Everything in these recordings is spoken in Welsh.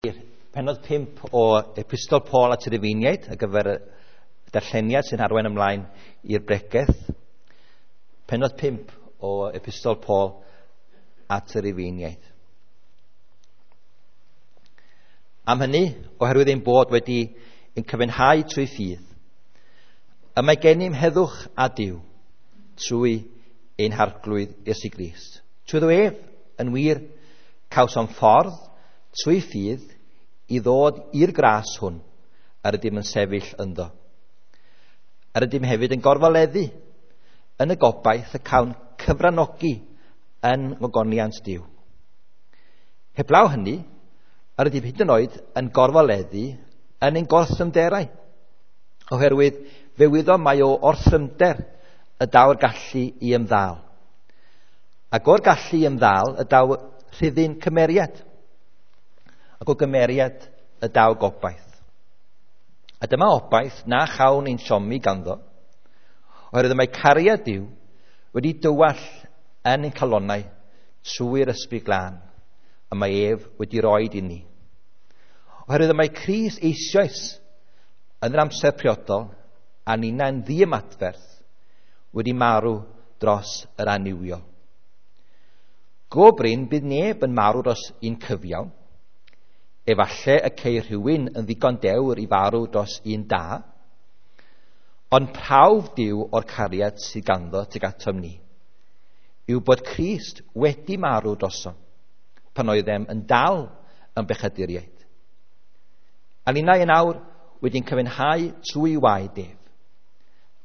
Pennod 5 o Epistol Paul at y Rufeiniaid ar gyfer y darlleniad sy'n arwain ymlaen i'r bregeth. Pennod 5 o Epistol Paul at y Rufeiniaid. Am hynny, oherwydd ein bod wedi ein cyfynhau trwy ffydd, y mae gennym heddwch a Duw trwy ein harglwydd Iesu Grist. Trwyddo ef, yn wir, cawsom ffordd trwy ffydd i ddod i'r gras hwn yr ydym yn sefyll ynddo. Yr ydym hefyd yn gorfoleddu yn y gobaith y cawn cyfranogi yn ngogoniant Duw. Heblaw hynny, yr ydym hyd yn oed yn gorfoleddu yn ein gorthrymderau, oherwydd fe wyddom mai o orthrymder y daw'r gallu i ymddal. Ac o'r gallu i ymddal y daw rhyddyn cymeriad, ac o gymeriad y daw gobaith. A dyma obaith na chawn ein siomi ganddo, oherwydd y mae cariad Duw wedi dywall yn ein calonnau trwy'r Ysbryd Glân, y mae ef wedi roed i ni. Oherwydd y mae Crist eisoes yn yr amser priodol, a ninna'n ddiymadferth, wedi marw dros yr annuwiol. Go brin bydd neb yn marw dros un cyfiawn. Efallai y ceir rhywun yn ddigon dewr i farw dros un da, ond prawf Duw o'r cariad sydd ganddo tuag atom ni yw bod Crist wedi marw drosom pan oeddem yn dal yn bechaduriaid. A ninnau yn awr wedi'n cyfynhau trwy waed ef.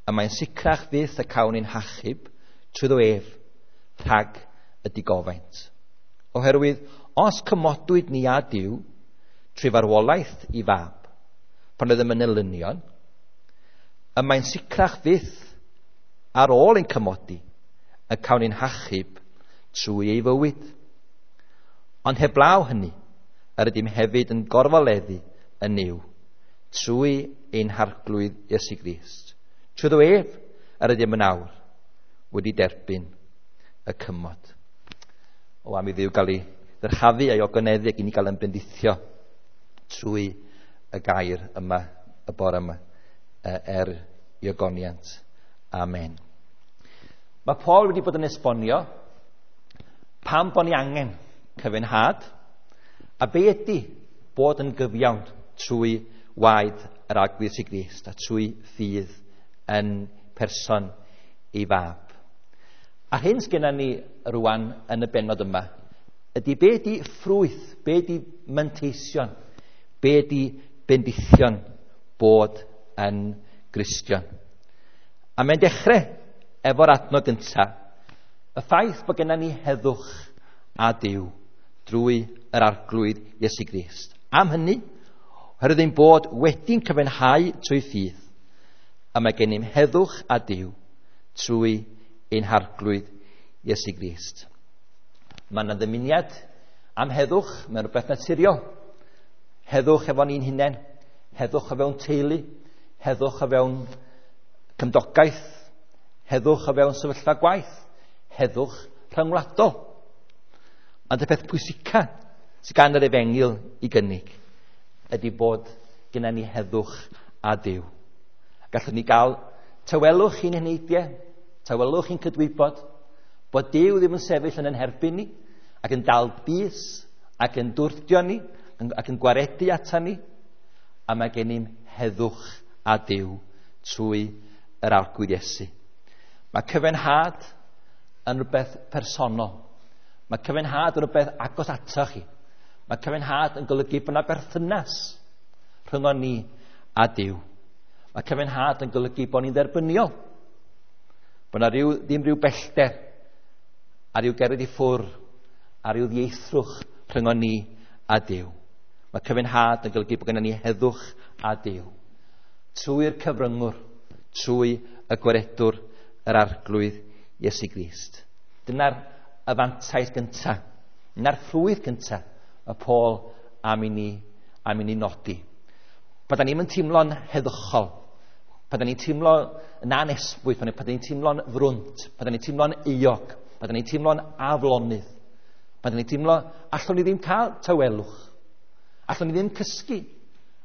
A mae'n sicrach fyth y cawn ein hachub trwyddo ef rhag y digofaint. Oherwydd, os cymodwyd ni â Duw trwy farwolaeth i fab, pan oeddem yn elynion, y mae'n sicrach fyth ar ôl ein cymodi y cawn ein hachub trwy ei fywyd. Ond heblaw hynny, yr ydym hefyd yn gorfoleddu yn Nuw trwy ein harglwydd Iesu Grist. Trwyddo ef, yr ydym yn awr wedi derbyn y cymod. O, am i Dduw gael ei ddyrchafu a'i ogoneddu ac i ni gael yn bendithio trwy y gair yma, y bore yma, er i ogoniant. Amen. Mae Paul wedi bod yn esbonio pam bod ni angen cyfynhad a be ydy bod yn gyfiawn trwy waed yr Arglwydd Iesu Grist a trwy ffydd yn person ei fab. A'r hyn sgenna ni rwan yn y bennod yma ydy be ydy ffrwyth, be ydy manteision, be ydy bendithion bod yn Gristion. A mae'n dechrau efo'r adnod gyntaf, y ffaith bod gennym ni heddwch a Duw drwy yr Arglwydd Iesu Grist. Am hynny, oherwydd ein bod wedi'n cyfynhau trwy ffydd, a mae gennym heddwch a Duw trwy ein harglwydd Iesu Grist. Mae yna ddymuniad am heddwch, mae'n rhywbeth naturiol. Heddwch efo ni'n hunain, heddwch o fewn teulu, heddwch o fewn cymdogaeth, heddwch o fewn sefyllfa gwaith, heddwch rhyngwladol. Ond y peth pwysica sydd gan yr efengyl i gynnig ydy bod gyda ni heddwch a Duw. Gallwn ni gael tawelwch i'n heneidiau, tawelwch i'n cydwybod, bod Duw ddim yn sefyll yn ein herbyn ni, ac yn dal bys, ac yn dwrdio ni, ac yn gwaredu ata ni, a mae gennym heddwch a Duw trwy yr Arglwydd Iesu. Mae cyfenhad yn rhywbeth personol. Mae cyfenhad yn rhywbeth agos ato chi. Mae cyfenhad yn golygu bod yna berthynas rhyngon ni a Duw. Mae cyfenhad yn golygu bod ni'n dderbyniol. Bod yna ddim rhyw bellter a rhyw gerdd i ffwr a rhyw ddieithrwch rhyngon ni a Duw. Mae cyfenhad yn golygu bod gennym ni heddwch a Duw. Trwy'r cyfryngwr, trwy y gwaredwr yr Arglwydd Iesu Grist. Dyna'r y fantais gyntaf, dyna'r ffrwyth gyntaf y Paul am i ni nodi. Pan da ni'n teimlo'n heddychol, pan da ni'n teimlo yn anesbwyth, pan da ni'n teimlo'n frwnt, pan da ni'n teimlo'n euog, pan da ni'n teimlo'n aflonydd, pan da ni'n teimlo allwn ni ddim cael tawelwch, Allwn ni ddim cysgu.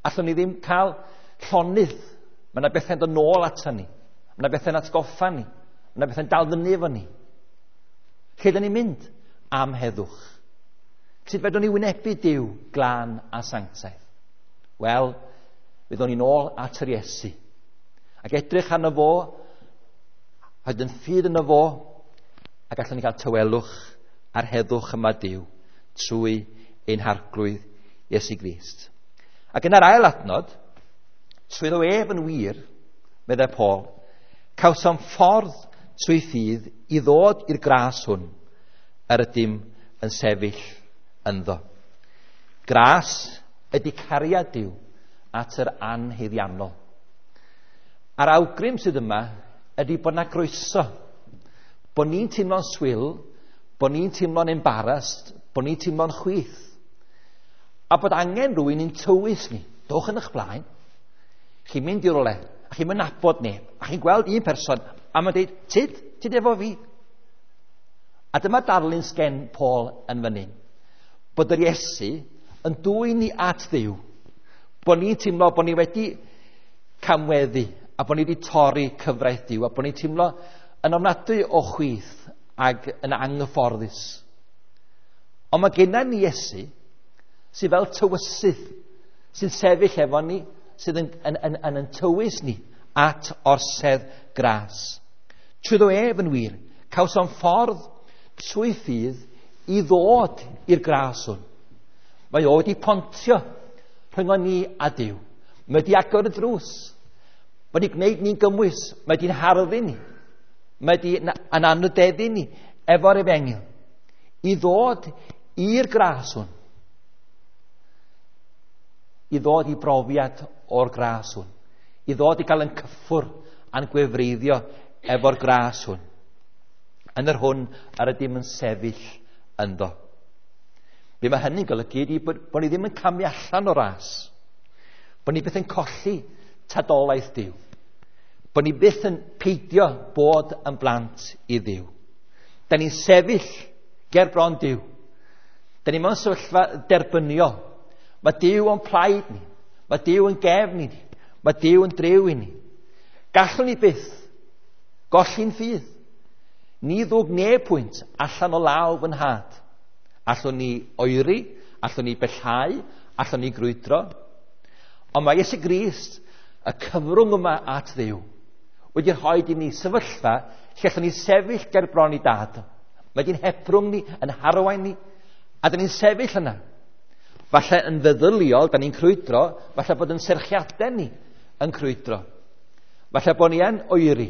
Allwn ni ddim cael llonydd. Mae yna bethau'n dod nôl ato ni. Mae yna bethau'n atgoffa ni. Mae yna bethau'n dal fyny efo ni. Lle dyn ni'n mynd? Am heddwch. Sut fedrwn ni wynebu Duw glân a sanctaidd? Wel, fyddwn ni'n ôl at yr Iesu. Ac edrych arno fo, rhaid yn ffydd yno fo, ac allwn ni gael tawelwch a'r heddwch yma Duw trwy ein harglwydd Iesu Grist. Ac yn yr ail adnod, trwyddo ef yn wir, meddai Paul, cawsom ffordd trwy ffydd i ddod i'r gras hwn yr ydym yn sefyll ynddo. Gras ydy cariad Duw at yr anhaeddiannol. A'r awgrym sydd yma ydy bod na groeso, bod ni'n teimlo'n swil, bod ni'n teimlo'n embarrassed, bod ni'n teimlo'n chwith, a bod angen rhywun i'n tywys ni. Dowch yn eich blaen, chi'n mynd i rywle, a chi'n mynd nabod neb, a chi'n gweld un person, a mae'n dweud, tyd efo fi. A dyma darlun sgen Paul yn fan hyn. Bod yr Iesu yn dwyn ni at Dduw. Bod ni'n teimlo bod ni wedi camweddu, a bod ni wedi torri cyfraith Duw, a bod ni'n teimlo yn ofnadwy o chwith ac yn anghyfforddus. Ond mae gennym ni Iesu sydd fel tywysydd, sy'n sefyll efo ni, sydd yn tywys ni at orsedd gras. Trwyddo ef yn wir, cawsom ffordd trwy ffydd i ddod i'r gras hwn. Mae o wedi pontio rhyngon ni a Duw. Mae wedi agor y drws. Mae wedi gwneud ni'n gymwys. Mae wedi'n harddu ni. Mae wedi yn anrhydeddu ni efo'r efengyl. I ddod i'r gras hwn. I ddod i brofiad o'r gras hwn. I ddod i gael yn cyffwr a'n gwefreiddio efo'r gras hwn. Yn yr hwn yr ydym yn sefyll ynddo. Be mae hynny'n golygu ydy bod ni ddim yn camu allan o ras. Bod ni byth yn colli tadolaeth Duw. Bod ni byth yn peidio bod yn blant i Dduw. Da ni'n sefyll ger bron Duw. Da ni mewn sefyllfa derbyniol. Mae Duw o'n plaid ni. Mae Duw yn gefn i ni. Mae Duw yn driw i ni. Gallwn ni byth golli'n ffydd. Ni ddwg neb pwynt allan o law fy nhad. Allwn ni oeri, allwn ni bellhau, allwn ni grwydro. Ond mae Iesu Grist, y cyfrwng yma at Dduw, wedi rhoi i ni sefyllfa lle allwn ni sefyll ger bron i dad. Mae di'n hebrwng ni, yn harwain ni, a dyn ni'n sefyll yna. Falle yn feddyliol, da ni'n crwydro, falle bod yn serchiadau ni yn crwydro. Falle bod ni yn oeri.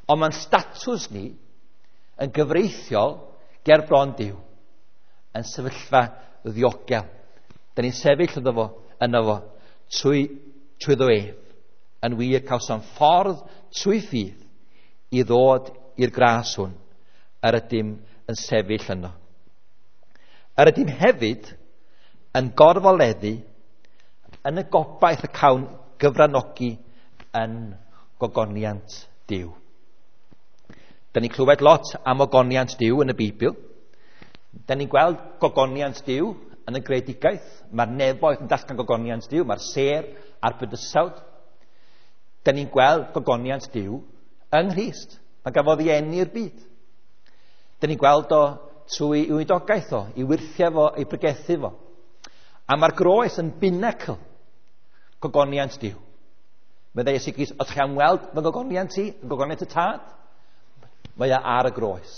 Ond mae'n statws ni yn gyfreithiol ger bron Duw, yn sefyllfa ddiogel. Da ni'n sefyll yno fo, trwyddo ef. Yn wir cawsom ffordd trwy ffydd i ddod i'r gras hwn yr ydym yn sefyll yno. Yr ydym hefyd yn gorfoleddu yn y gobaith y cawn gyfranogi yn gogoniant Duw. Da ni'n clywed lot am ogoniant Duw yn y Beibl. Da ni'n gweld gogoniant Duw yn y greadigaeth. Mae'r nefoedd yn datgan gogoniant Duw, mae'r sêr a'r bydysawd. Da ni'n gweld gogoniant Duw yng Nghrist. Mae gafodd ei eni i'r byd. Da ni'n gweld o trwy ei weinidogaeth o, ei wyrthiau fo, ei pregethu fo. A mae'r groes yn binacl gogoniant Duw. Meddai Iesu Grist, os chi am weld fy ngogoniant i, gogoniant y Tad, mae o ar y groes.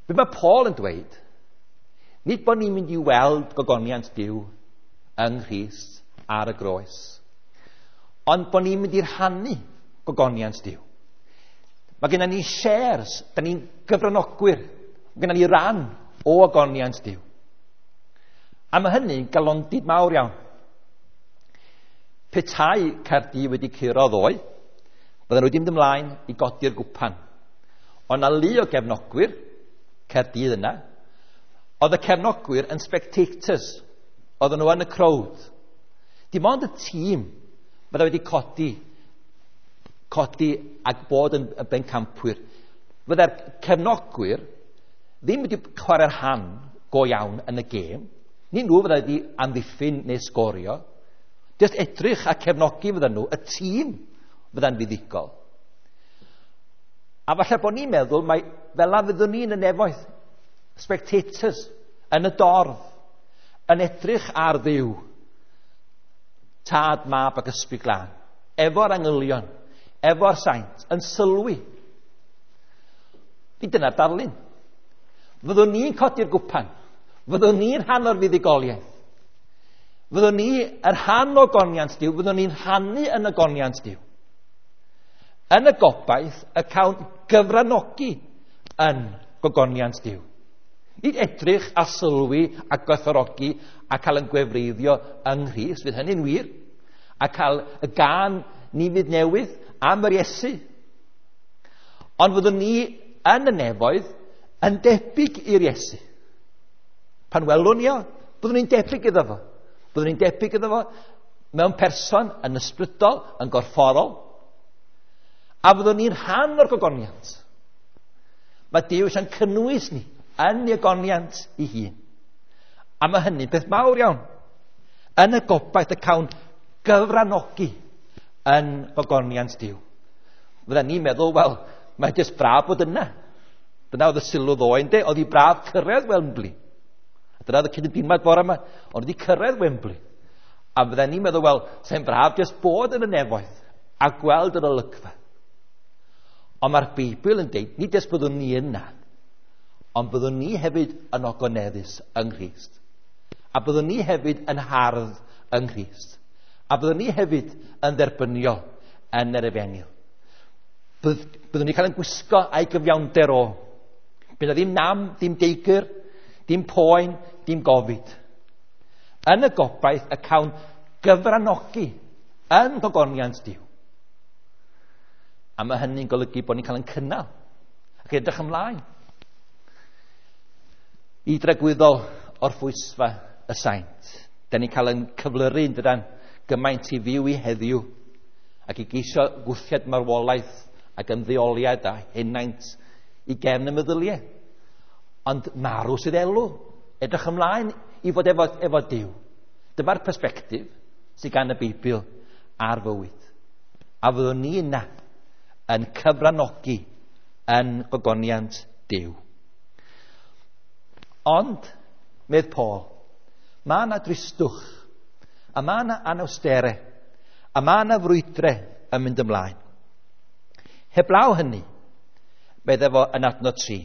Be mae Paul yn dweud, nid bod ni'n mynd i weld gogoniant Duw yng Nghrist ar y groes, ond bod ni'n mynd i rhannu gogoniant Duw. Mae gennym ni shares, da ni'n gyfranogwyr, mae gennym ni ran o ogoniant Duw. A mae hynny'n galondid mawr iawn. Petai Caerdydd wedi curo ddoe, bydden nhw wedi mynd ymlaen i godi'r gwpan. Ond na lu o gefnogwyr Caerdydd yna, oedd y cefnogwyr yn spectators, oedden nhw yn y crowd. Dim ond y tîm bydde wedi codi ac bod yn bencampwyr. Fydde'r cefnogwyr ddim wedi chwarae'r rhan go iawn yn y gêm. Ni nhw fydda wedi amddiffyn neu sgorio. Jyst edrych a cefnogi fydda nhw, y tîm fydda'n fuddugol. A falle bod ni'n meddwl mai fel 'na fyddwn ni yn y nefoedd, spectators, yn y dorf, yn edrych ar Dduw, Tad, Mab ac Ysbryd Glân, efo'r angylion, efo'r saint, yn sylwi. Nid dyna'r darlun. Fyddwn ni'n codi'r gwpan. Fyddwn ni'n rhan o'r fuddugoliaeth. Fyddwn ni yn rhan o goniant Duw. Fyddwn ni'n rhannu yn y goniant Duw. Yn y gobaith y cawn gyfranogi yn gogoniant Duw. Nid edrych a sylwi a gwerthfawrogi a cael yn gwefreiddio yng Nghrist, fydd hynny'n wir, a cael y gân ni fydd newydd am yr Iesu. Ond fyddwn ni yn y nefoedd yn debyg i'r Iesu. Pan welwn ni o, byddwn ni'n debyg iddo fo. Byddwn ni'n debyg iddo fo mewn person, yn ysbrydol, yn gorfforol. A fyddwn ni'n rhan o'r gogoniant. Mae Duw eisiau'n cynnwys ni yn ei ogoniant ei hun. A mae hynny'n beth mawr iawn. Yn y gobaith y cawn gyfranogi yn gogoniant Duw. Fydda ni'n meddwl, wel, mae jyst braf bod yna. Dyna oedd y sylw ddoe, ynde? Oedd hi braf cyrraedd Wembley. A dyna oedd y cydymdeimlad bore yma. Oedd hi cyrraedd Wembley. A fydda ni'n meddwl, wel, sa'n braf jyst bod yn y nefoedd a gweld yr olygfa. Ond mae'r Beibl yn deud, nid jyst byddwn ni yna, ond byddwn ni hefyd yn ogoneddus yng Nghrist. A byddwn ni hefyd yn hardd yng Nghrist. A byddwn ni hefyd yn dderbyniol yn yr efengyl. Byddwn ni cael yn gwisgo a'i gyfiawnder o. Bydd na ddim nam, ddim deigr, dim poen, dim gofid. Yn y gobaith y cawn gyfranogi yn gogoniant Duw. A mae hynny'n golygu bod ni'n cael yn cynnal ac edrych ymlaen i dragwyddol orffwysfa y saint. Da ni'n cael yn cyflyru yn dydan gymaint i fyw i heddiw ac i geisio gwthiad marwolaeth ac ymddeoliad a henaint i gefn y meddyliau. Ond marw sydd elw. Edrych ymlaen i fod efo Duw. Dyma'r persbectif sydd gan y Beibl ar fywyd. A fyddwn ni yna yn cyfranogi yn gogoniant Duw. Ond, medd Paul, mae yna dristwch, a mae yna anawstere, a mae yna frwydre yn mynd ymlaen. Heblaw hynny, medde fo yn adnod 3,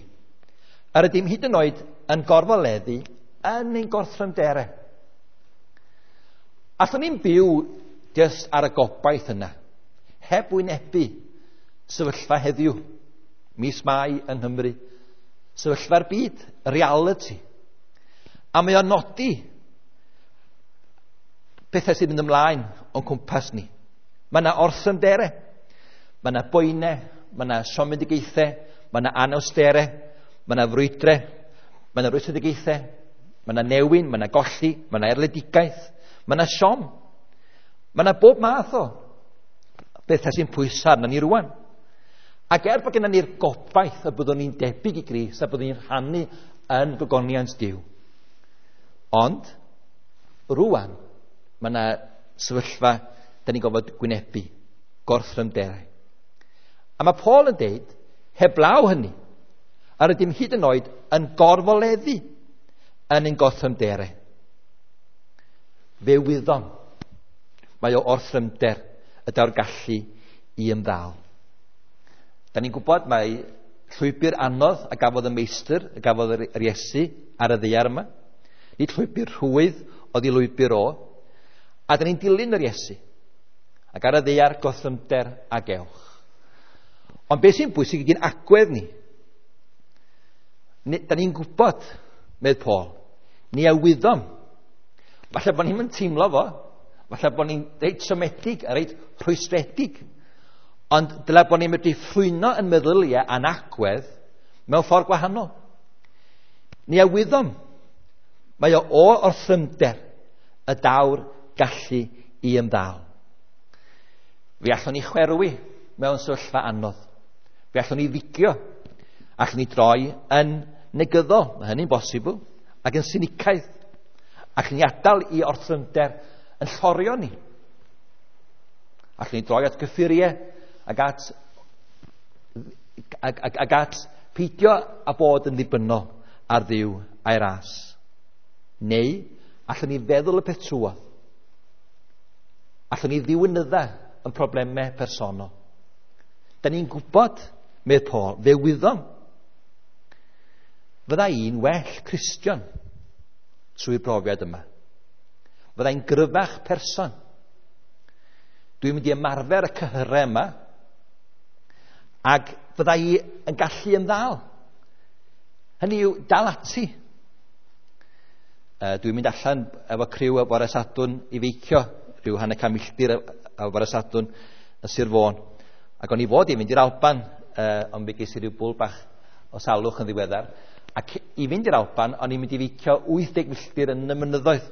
yr ydym hyd yn oed yn gorfoleddu yn ein gorthrymdere. Allwn ni'n byw jyst ar y gobaith yna, heb wynebu sefyllfa heddiw, mis Mai yng Nghymru, sefyllfa'r byd, reality. A mae o'n nodi pethau sy'n mynd ymlaen o'n cwmpas ni. Mae yna orthrymdere, mae yna boenau, mae yna siomedigaethau, mae yna anawstere, mae yna frwydre, mae yna rwystredigaethau, mae yna newyn, mae yna golli, mae yna erledigaeth, mae yna siom. Mae yna bob math o bethau sy'n pwyso arnon ni rwan. Ac er bod gennym ni'r gobaith y byddwn ni'n debyg i Grist a byddwn ni'n rhannu yn gogoniant Duw. Ond, rwan, mae yna sefyllfa da ni'n gorfod gwynebu, gorthrymderau. A mae Paul yn deud, heblaw hynny, yr ydym hyd yn oed yn gorfoleddu yn ein gorthrymderau. Fe wyddom, mae o orthrymder y daw'r gallu i ymddal. Da ni'n gwybod mai llwybr anodd a gafodd y meistr, a gafodd yr Iesu ar y ddaear yma. Nid llwybr rhwydd oedd ei lwybr o. A da ni'n dilyn yr Iesu. Ac ar y ddaear gorthrymder a gewch. Ond beth sy'n bwysig ydy'n agwedd ni. Da ni'n gwybod, medd Paul, ni a wyddom. Falle bod ni'n teimlo fo, falle bod ni'n reit siomedig a reit rhwystredig. Ond dyle bod ni'n medru ffrwyno yn meddyliau a'n agwedd mewn ffordd gwahanol. Ni a wyddom, mae o orthrymder y daw'r gallu i ymddal. Fe allwn ni chwerwi mewn sefyllfa anodd. Fe allwn ni ddigio. Allwn ni droi yn negyddol, mae hynny'n bosibl, ac yn sinicaidd. Allwn ni adael i orthrymder yn llorio ni. Allwn ni droi at gyffuriau ac at, ac, ac, ac at peidio a bod yn ddibynnol ar Dduw a'i ras. Neu allwn ni feddwl y peth trwodd. Allwn ni ddiwinydda yn problemau personol. Da ni'n gwybod, medd Paul, fe wyddom. Fydda i'n well Cristion trwy'r brofiad yma. Fydda i'n gryfach person. Dwi'n mynd i ymarfer y cyhyrau yma ac fydda i yn gallu ymddal. Hynny yw, dal ati. Dwi'n mynd allan efo criw o bore Sadwrn i feicio, rhyw 150 milltir o bore Sadwrn yn Sir Fôn. Ac o'n i fod i fynd i'r Alban, ond fe ges i ryw bwl bach o salwch yn ddiweddar. Ac i fynd i'r Alban, o'n i'n mynd i feicio 80 milltir yn y mynyddoedd.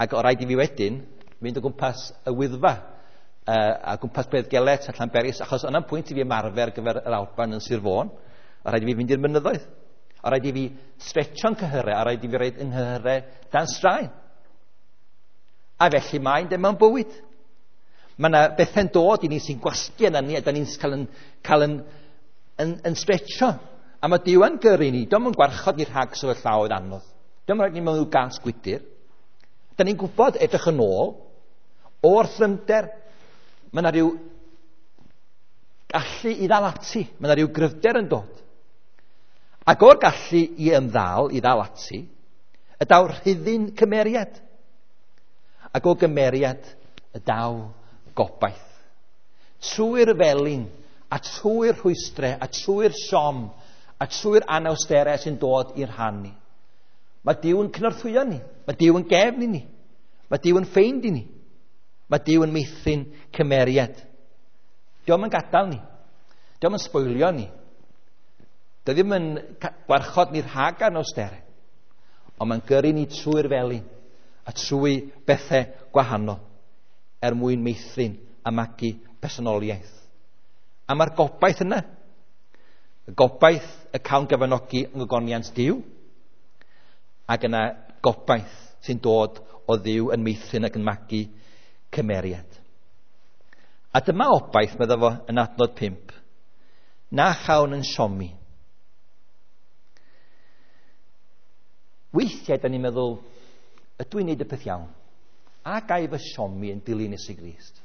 Ac o rhaid i fi wedyn fynd o gwmpas y Wyddfa, a gwmpas Beddgelert a Llanberis, achos yna'n pwynt i fi ymarfer ar gyfer yr Alban yn Sir Fôn. O rhaid i fi fynd i'r mynyddoedd. O rhaid i fi stretcho'n cyhyrau, a rhaid i fi roid yng nghyhyrau dan straen. A felly mae'n dem mewn bywyd. Mae yna bethau'n dod i ni sy'n gwasgu yna ni, a da ni'n cael yn stretcho. A mae Duw yn gyrru ni. Dio'm yn gwarchod ni rhag sefyllfaoedd anodd. Dio'm yn rhaid ni mewn rhyw gas gwydyr. Da ni'n gwybod edrych yn ôl, o'r thrymder, mae yna rhyw gallu i ddal ati. Mae yna rhyw gryfder yn dod. Ac o'r gallu i ymddal, i ddal ati, y daw rhyddyn cymeriad. Ac o gymeriad y daw gobaith. Trwy'r felin, a trwy'r rhwystrau, a trwy'r siom, a trwy'r anawsterau sy'n dod i'r rhan ni. Mae Duw yn cynorthwyo ni. Mae Duw yn gefn i ni. Mae Duw yn ffeind i ni. Mae Duw yn meithrin cymeriad. Dio'm yn gadael ni. Dio'm yn sboilio ni. Dio ddim yn gwarchod ni rhag anawsterau. Ond mae'n gyrru ni trwy'r felin a trwy bethau gwahanol er mwyn meithrin a magu personoliaeth. A mae'r gobaith yna. Y gobaith y cawn gyfanogi yng ngogoniant Duw, ac yna gobaith sy'n dod o Dduw yn meithrin ac yn magu cymeriad. A dyma obaith, medda fo yn adnod 5, na chawn yn siomi. Weithiau, da ni'n meddwl, ydw i'n neud y peth iawn? A ga i fy siomi yn dilyn Iesu Grist?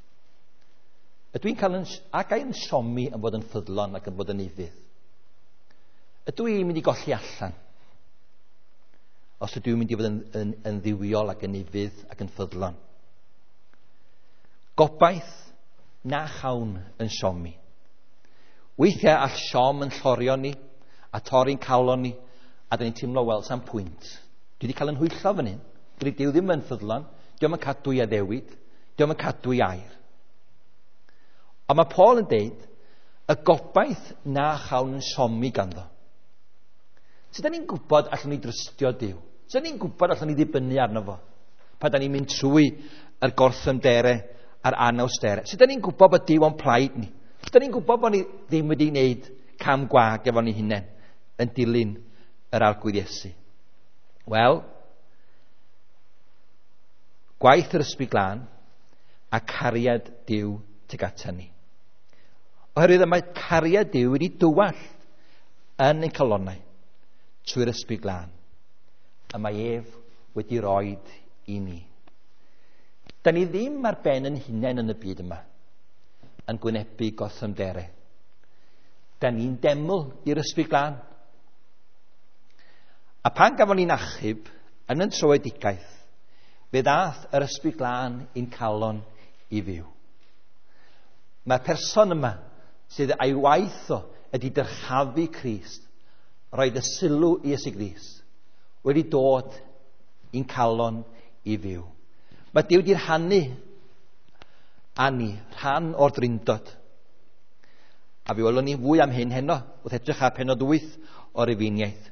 Ydw i'n cael yn, a ga i'n siomi yn fod yn ffyddlon ac yn bod yn ufudd? Ydw i'n mynd i golli allan? Os ydw i'n mynd i fod yn dduwiol ac yn ufudd ac yn ffyddlon? Gobaith na chawn yn siomi. Weithiau all siom yn llorio ni a torri'n calon ni, a da ni'n teimlo, wel, sam pwynt. Dwi wedi cael yn hwyllo fan hyn. Dydy Duw ddim yn ffyddlon, dio'm yn cadw i addewid, dio'm yn cadw i air. Ond mae Paul yn deud, y gobaith na chawn yn siomi ganddo. Sut da ni'n gwybod allwn ni drystio Duw? Sut da ni'n gwybod allwn ni ddibynnu arno fo? Pan da ni'n mynd trwy yr gorthrymderau a'r anawsterau. Sut da ni'n gwybod bod Duw o'n plaid ni? Sut da ni'n gwybod bod ni ddim wedi gwneud cam gwag efo ni hunain yn dilyn yr Arglwydd Iesu? Wel, gwaith yr Ysbryd Glân a cariad Duw tuag ata ni. Oherwydd y mae cariad Duw wedi dywallt yn ein calonnau trwy'r Ysbryd Glân, y mae ef wedi roed i ni. Da ni ddim ar ben yn hunain yn y byd yma, yn gwynebu gorthrymderau. Da ni'n deml i'r Ysbryd Glân. A pan gafon ni'n achub yn yn tröedigaeth, fe ddath yr Ysbryd Glân i'n calon i fyw. Mae'r person yma sydd a'i waith o ydy dyrchafu Crist, roed y sylw i Iesu Grist, wedi dod i'n calon i fyw. Mae Duw wedi rhannu â ni rhan o'r drindod. A fe welwn ni fwy am hyn heno, wrth edrych ar pennod 8 o'r Rufeiniaid,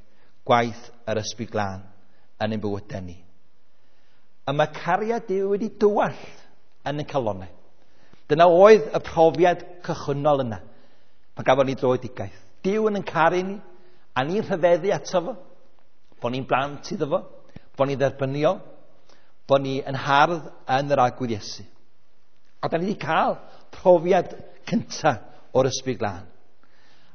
gwaith yr Ysbryd Glân yn ein bywydau ni. A mae cariad Duw wedi dywallt yn ein calonnau. Dyna oedd y profiad cychwynnol yna, pan gafon ni dröedigaeth. Duw yn ein caru ni, a ni'n rhyfeddu ato fo, bod ni'n blant iddo fo, Bod ni'n dderbyniol, bod ni yn hardd yn yr Arglwydd Iesu. A da ni wedi cael profiad cyntaf o'r Ysbryd Glân.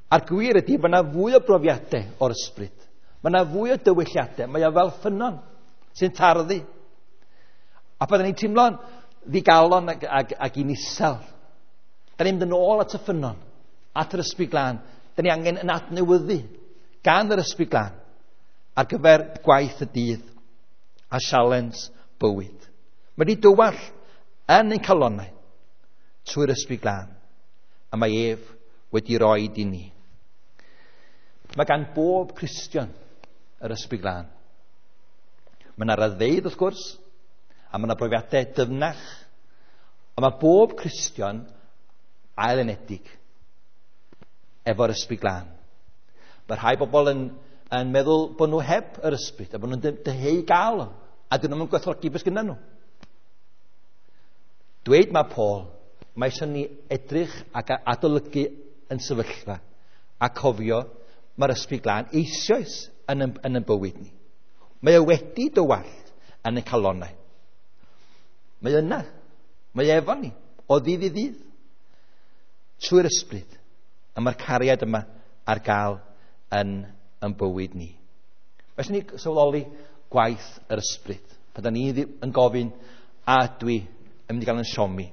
A'r gwir ydy bod yna fwy o brofiadau o'r ysbryd. Mae yna fwy o dywylliadau. Mae o fel ffynnon sy'n tarddu. A byddwn ni'n teimlo'n ddigalon ac yn isel. Da ni'n mynd yn ôl at y ffynnon, at yr Ysbryd Glân. Da ni angen yn adnewyddu gan yr Ysbryd Glân ar gyfer gwaith y dydd a sialens bywyd. Mae wedi dywall yn ein calonnau trwy'r Ysbryd Glân, a mae ef wedi roi i ni. Mae gan bob Cristion yr Ysbryd Glân. Mae yna raddfeydd, wrth gwrs, a mae yna brofiadau dyfnach, ond mae bob Cristion ailenedig efo'r Ysbryd Glân. Mae rhai bobl yn meddwl bod nhw heb yr ysbryd, a bod nhw'n dyheu gael o, a dyn nhw'n gwerthfawrogi beth gyda nhw. Dweud mae Paul, mae eisiau ni edrych ac adolygu yn sefyllfa a cofio mae'r Ysbryd Glân eisoes yn yn bywyd ni. Mae o wedi dywallt yn y calonnau. Mae yna, mae efo ni, o ddydd i ddydd, trwy'r ysbryd. A mae'r cariad yma ar gael yn bywyd ni. Mae eisiau ni sylweddoli gwaith yr ysbryd. Pan da ni yn gofyn, a dwi yn mynd i gael yn siomi,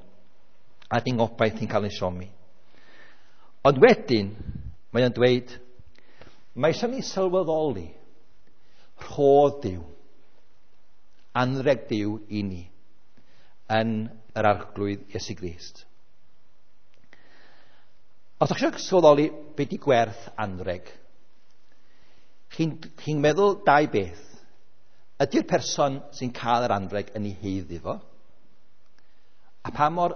a di'n gobaith ni'n cael yn siomi. Ond wedyn, mae o'n dweud, mae eisiau ni sylweddoli rhodd Duw, anrheg Duw i ni, yn yr Arglwydd Iesu Grist. Os ydych chi eisiau sylweddoli beth di gwerth anrheg, chi'n meddwl dau beth. Ydy'r person sy'n cael yr anrheg yn ei haeddu fo? A pa mor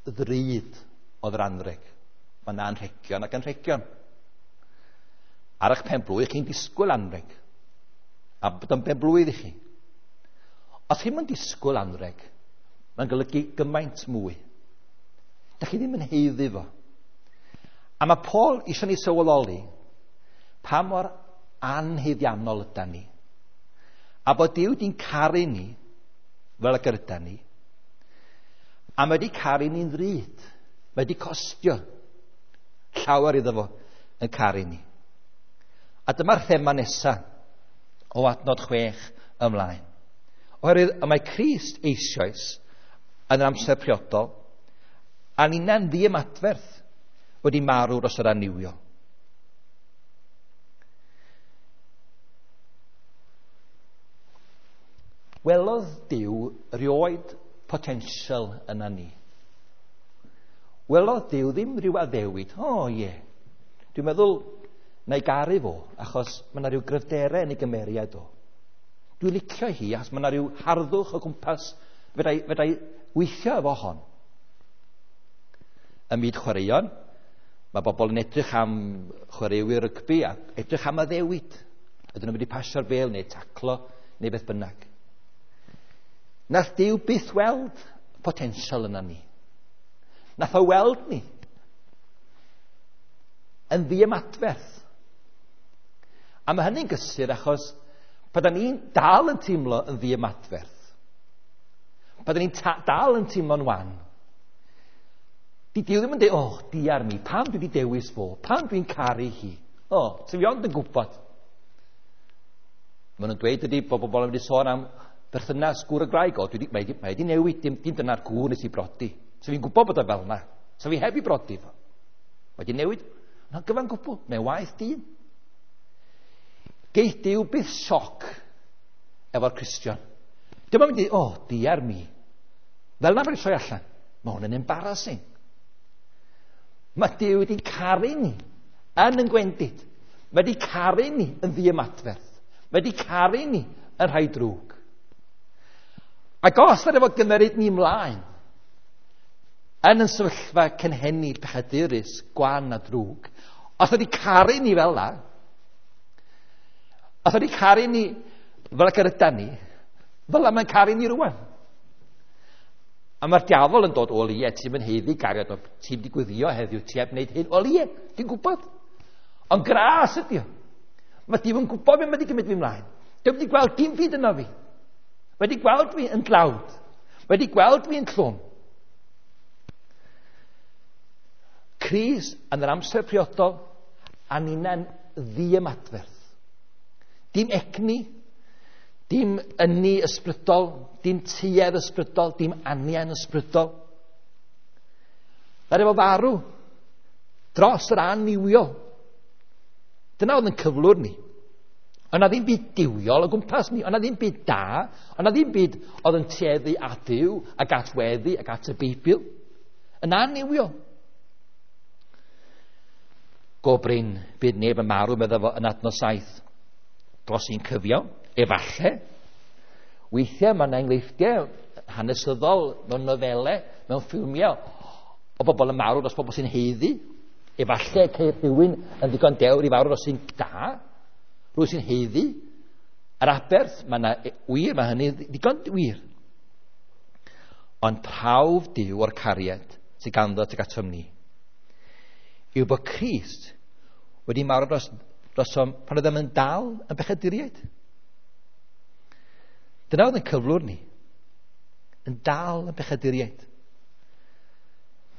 ddrud oedd yr anrheg? Mae yna anrhegion ac anrhegion. Ar eich pen-blwydd, chi'n disgwyl anrheg. A bod o'n ben-blwydd i chi. Os chi'n mynd disgwyl anrheg, mae'n golygu gymaint mwy. Dach chi ddim yn haeddu fo. A mae Paul eisiau ni sylweddoli pa mor anhaeddiannol ydan ni. A bod Duw di'n caru ni fel y gyda ni. A mae wedi caru ni'n ddrud. Mae wedi costio llawer iddo fo yn caru ni. A dyma'r thema nesaf o adnod 6 ymlaen. Oherwydd y mae Crist eisoes yn yr amser priodol, a ninna'n ddiymadferth wedi marw dros yr annuwiol. Welodd Duw rioed potensial yna ni. Welodd Duw ddim rhyw addewid. O ie, dwi'n meddwl na i garu fo, achos mae yna rhyw gryfderau yn ei gymeriad o. Dwi'n licio hi, achos mae yna rhyw harddwch o gwmpas, fedra i weithio efo hon. Ym myd chwaraeon, mae bobl yn edrych am chwaraewyr rygbi a edrych am addewid. Ydyn nhw'n mynd i pasio'r bêl neu taclo neu beth bynnag. Nath Duw byth weld potensial yna ni. Nath o weld ni yn ddiymadferth. A mae hynny'n gysur achos pan ni'n dal yn teimlo yn ddiymadferth, pan ni'n dal yn teimlo'n wan, di Duw ddim yn dweud, oh, diar mi, pam dwi wedi dewis fo, pam dwi'n caru hi? O, sef i ond yn gwybod. Maen nhw'n dweud ydy bod bobl yn wedi sôn am berthynas gŵr y gwraig, o, mae wedi newid, dim dyna'r gŵr nes i brodi. So fi'n gwybod bod o fel yna. So fi heb i brodi fo. Mae wedi newid, yna'n gyfan gwbl, mae'n waith dyn. Geith Duw byth sioc efo'r Cristion. Dyma mynd i, o, diar mi. Fel yna mae'n troi allan. Mae hwn yn embarrassing. Mae Duw wedi caru ni yn gwendid. Mae wedi caru ni yn ddiymadferth. Mae wedi caru ni yn rhai drwg. Ac os yna efo gymeryd ni ymlaen, yn sefyllfa cynhenid pechadurus, gwan a drwg, os wedi caru ni fel la, os wedi caru ni fel ac yr ydan ni, fel la mae'n caru ni rwan. A mae'r diafol yn dod, o ie, ti'n mynd haeddu gariad, ti'n wedi gweddio heddiw, ti heb wneud hyn, o ie, ti'n gwybod. Ond gras ydi o. Mae Duw yn gwybod beth mae wedi gymryd fi ymlaen. Dwi'n wedi gweld dim byd yno fi. Wedi gweld fi yn dlawd. Wedi gweld fi yn llwm. Crist yn yr amser priodol a ninna'n ddiymadferth. Dim egni, dim ynni ysbrydol, dim tuedd ysbrydol, dim anian ysbrydol. Ddaru fo farw dros yr annuwiol. Dyna oedd yn cyflwr ni. Ond na ddim byd duwiol o gwmpas ni, ond na ddim byd da, ond na ddim byd oedd yn tueddu at Dduw ac at weddi ac at y Beibl. Yn annuwiol. Go brin, bydd neb yn marw, medda fo yn adnod 7. Dros un cyfiawn, efalle. Weithiau mae yna enghreifftiau hanesyddol mewn nofelau, mewn ffilmiau, o bobl yn marw dros bobl sy'n haeddu. Efalle ceir rhywun yn ddigon dewr i farw dros un da, rhywun sy'n haeddu. Yr aberth, mae yna wir, mae hynny ddigon wir. Ond prawf Duw o'r cariad sydd ganddo tuag atom ni yw bod Crist wedi marw drosom pan oeddem yn dal yn bechaduriaid. Dyna oedd yn cyflwr ni. Yn dal yn bechaduriaid.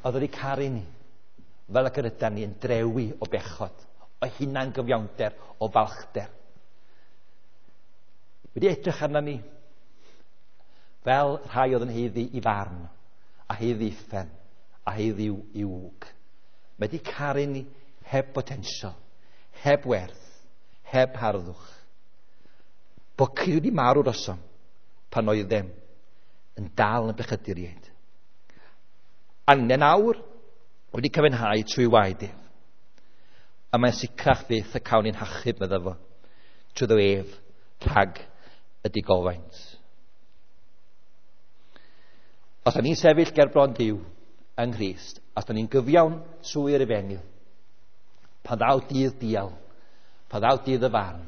Oedd wedi caru ni fel ac yr ydan ni yn drewi o bechod, o hunan gyfiawnder, o falchder. Wedi edrych arna ni fel rhai oedd yn haeddu i farn, a haeddu uffern, a haeddu i wg. Mae wedi caru ni heb potensial, heb werth, heb harddwch. Bod Crist wedi marw drosom pan oeddem yn dal yn bechaduriaid. A ni'n awr wedi cyfiawnhau trwy waed ef. A mae'n sicrach fyth y cawn ni'n hachub, medda fo, trwyddo ef rhag y digofaint. Os da ni'n sefyll ger bron Duw yng Nghrist, os da ni'n gyfiawn trwy'r efengyl, pan ddaw dydd dial, pan ddaw dydd y farn,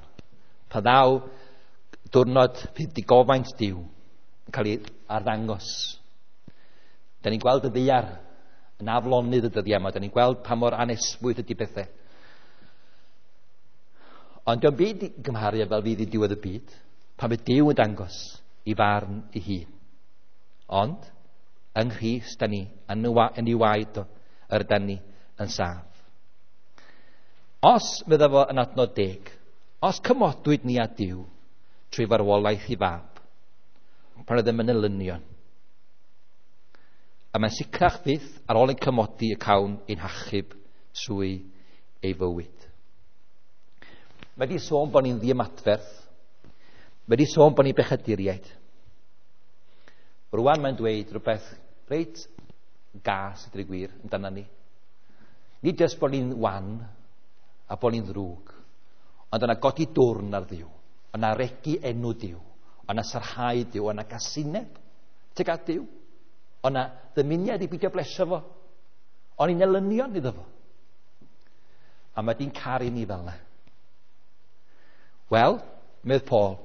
pan ddaw diwrnod fydd digofaint Duw yn cael ei arddangos. Da ni'n gweld y ddaear yn aflonydd y dyddiau yma. Da ni'n gweld pa mor anesmwyth ydy pethau. Ond dio'm byd i gymharu fel fydd i diwedd y byd, pan fydd Duw yn dangos i farn ei hun. Ond, yng Nghrist da ni, yn ei waed o, yr ydan ni yn saff. Os, medda fo yn adnod 10, os cymodwyd ni â Duw trwy farwolaeth i fab, pan oeddem yn elynion, a mae'n sicrach fyth ar ôl ein cymodi y cawn ein hachub trwy ei fywyd. Mae wedi sôn bod ni'n ddiymadferth. Mae wedi sôn bod ni'n bechaduriaid. Rwan mae'n dweud rhywbeth reit gas, ydy'r gwir, amdano ni. Nid jyst bod ni'n wan a bod ni'n ddrwg, ond yna godi dwrn ar Dduw, yna regi enw Duw, yna sarhau Duw, yna gasineb tuag at Duw, yna ddymuniad i beidio blesio fo, ond ni'n elynion iddo fo. A mae di'n caru ni fel yna. Wel, medd Paul,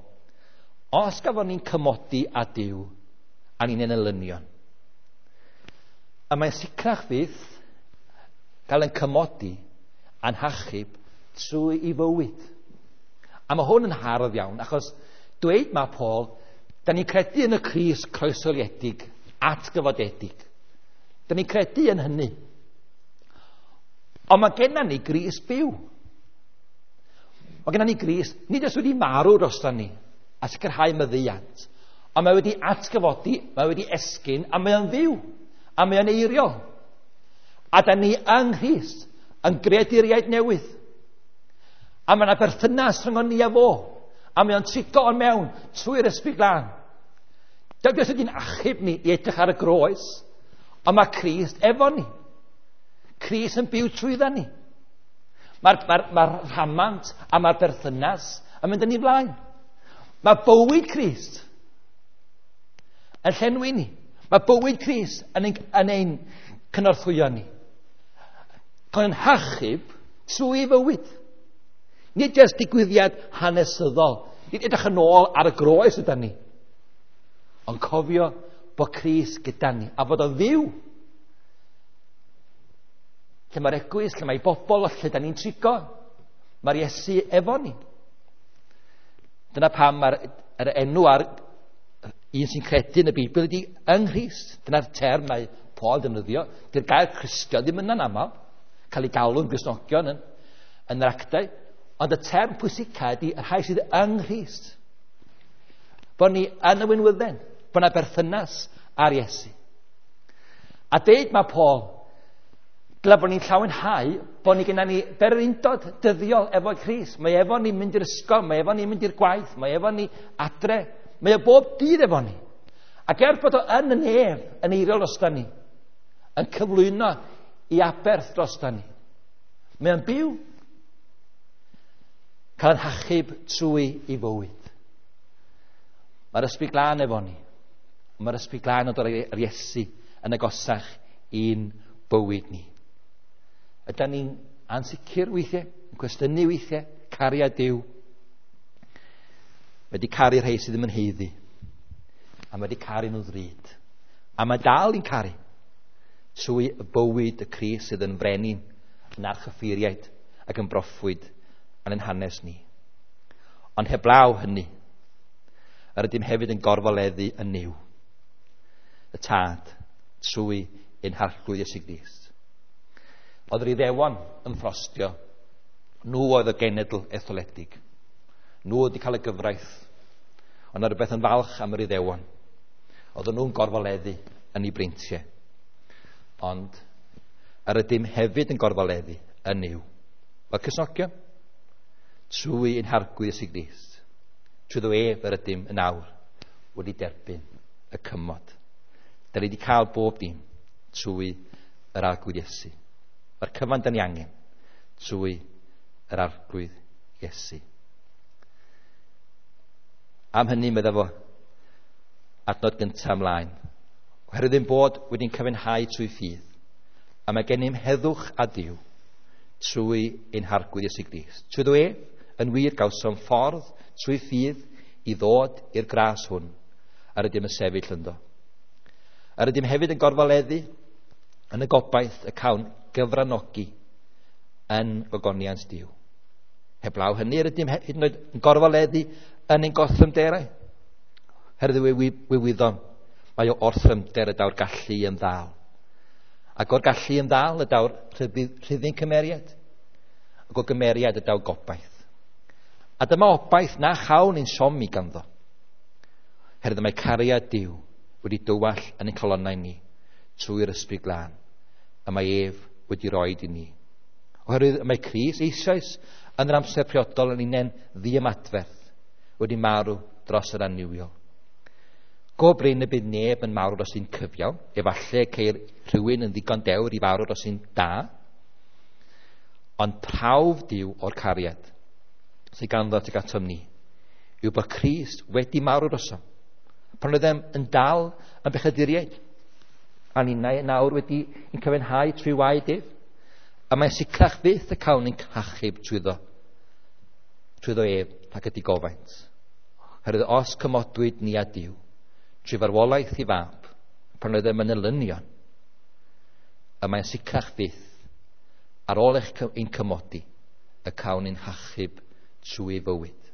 os gafon ni'n cymodi â Duw a ni'n elynion, a mae'n sicrach fyth gael ein cymodi a'n hachub trwy ei fywyd. A mae hwn yn hardd iawn, achos dweud mae Paul, da ni'n credu yn y Crist croeshoeliedig, atgyfodedig. Da ni'n credu yn hynny. Ond mae genna ni Grist byw. Mae genna ni Grist, nid oes wedi marw drosta ni a sicrhau maddeuant, ond mae wedi atgyfodi, mae wedi esgyn, a mae o'n fyw, a mae o'n eiriol. A da ni yng Nghrist yn greaduriaid newydd. A mae yna berthynas rhwng ni a fo, a mae o'n trigo o'n mewn trwy'r Ysbryd Glân. Dydy os ydy'n achub ni i edrych ar y groes, ond mae Crist efo ni. Crist yn byw trwydda ni. Mae'r rhamant a mae'r berthynas yn mynd yn ei flaen. Mae bywyd Crist yn llenwi ni. Mae bywyd Crist yn ein cynorthwyo ni. Cael ein hachub trwy fywyd. Nid jyst digwyddiad hanesyddol. Nid edrych yn ôl ar y groes yda ni. Ond cofio bod Crist gyda ni a bod o'n fyw. Lle mae'r eglwys, lle mae bobl, lle da ni'n trigo, mae'r Iesu efo ni. Dyna pam mae'r enw ar un sy'n credu yn y Beibl ydy yng Nghrist. Dyna'r term mae Paul defnyddio. Dy'r gair Cristion ddim yna'n aml. Cael ei galw'n Gristnogion yn yr actau. Ond y term pwysica ydy y rhai sydd yng Nghrist. Bod ni yn y winwydden. Bod yna berthynas ar Iesu. A deud mae Paul, dyle bod ni'n llawenhau bod ni gyda ni bererindod dyddiol efo Crist. Mae efo ni'n mynd i'r ysgol, mae efo ni'n mynd i'r gwaith, mae efo ni adre. Mae o bob dydd efo ni. Ac er bod o yn y nef, yn eiriol drosta ni, yn cyflwyno i aberth drosta ni, mae o'n byw, cael yn hachub trwy ei fywyd. Mae'r Ysbryd Glân efo ni. Mae'r Ysbryd Glân yn dod ar Iesu yn agosach i'n bywyd ni. Ydy ni'n ansicr weithiau, yn cwestiynu weithiau, cariad Duw. Mae wedi caru rhai sydd ddim yn haeddu. A mae wedi caru nhw ddrud. A mae dal i'n caru trwy y bywyd y Crist sydd yn frenin, yn archyffeiriaid ac yn broffwyd yn ein hanes ni. Ond heblaw hynny, yr ydym hefyd yn gorfoleddu yn Nuw, y Tad, trwy ein Harglwydd Iesu Grist. Oedd yr Iddewon yn ffrostio, nhw oedd y genedl etholedig. Nhw oedd wedi cael y gyfraith, ond oedd rhywbeth yn falch am yr Iddewon. Oedden nhw'n gorfoleddu yn eu breintiau. Ond yr ydym hefyd yn gorfoleddu yn Nuw. Fel Cristnogion, trwy ein Harglwydd Iesu Grist, trwyddo ef yr ydym yn awr wedi derbyn y cymod. Da ni wedi cael bob dim trwy yr Arglwydd Iesu. Mae'r cyfan da ni angen trwy yr Arglwydd Iesu. Am hynny, medda fo, adnod gyntaf ymlaen. Oherwydd ein bod wedi'n cyfiawnhau trwy ffydd, a mae gennym heddwch â Duw trwy ein Harglwydd Iesu Grist. Trwyddo ef, yn wir, gawsom ffordd trwy ffydd i ddod i'r gras hwn, a rydym yn sefyll ynddo. A rydym hefyd yn gorfoleddu yn y gobaith y cawn gyfranogi yn gogoniant Duw. Heblaw hynny, rydym hyd yn oed yn gorfoleddu yn ein gorthrymderau. Herwydd we wyddom, mae o orthrymder y daw'r gallu i ymddal. Ac o'r gallu i ymddal y daw'r rhyddid cymeriad. Ac o gymeriad y daw gobaith. A dyma obaith na chawn ein siomi ganddo. Herwydd mae cariad Duw wedi dywall yn ein calonnau ni trwy'r Ysbryd Glân, a mae ef wedi roed i ni. Oherwydd mae Crist eisoes yn yr amser priodol yn unen ddiymadferth wedi marw dros yr annuwiol. Go brin y bydd neb yn marw dros un cyfiawn, efallai ceir rhywun yn ddigon dewr i farw dros un da, ond prawf Duw o'r cariad sydd ganddo tuag atom ni yw bod Crist wedi marw drosom. Pan oeddem yn dal yn bechaduriaid, a ninnau yn awr wedi ein cyfiawnhau trwy waed ef, a mae'n sicrach fyth y cawn ein hachub trwyddo ef rhag y digofaint. Oherwydd os cymodwyd ni â Duw trwy farwolaeth i fab, pan oeddem yn elynion, y mae'n sicrach fyth ar ôl ein cymodi y cawn ein hachub trwy fywyd.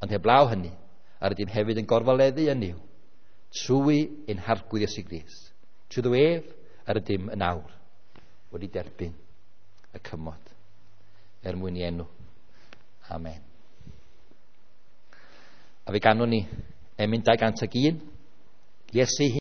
Ond heblaw hynny, a rydym hefyd yn gorfoleddu yn Nuw trwy ein Harglwydd Iesu Grist. Trwyddo ef yr ydym yn awr wedi derbyn y cymod er mwyn i enw. Amen. A fe ganwn ni emyn 201. Iesu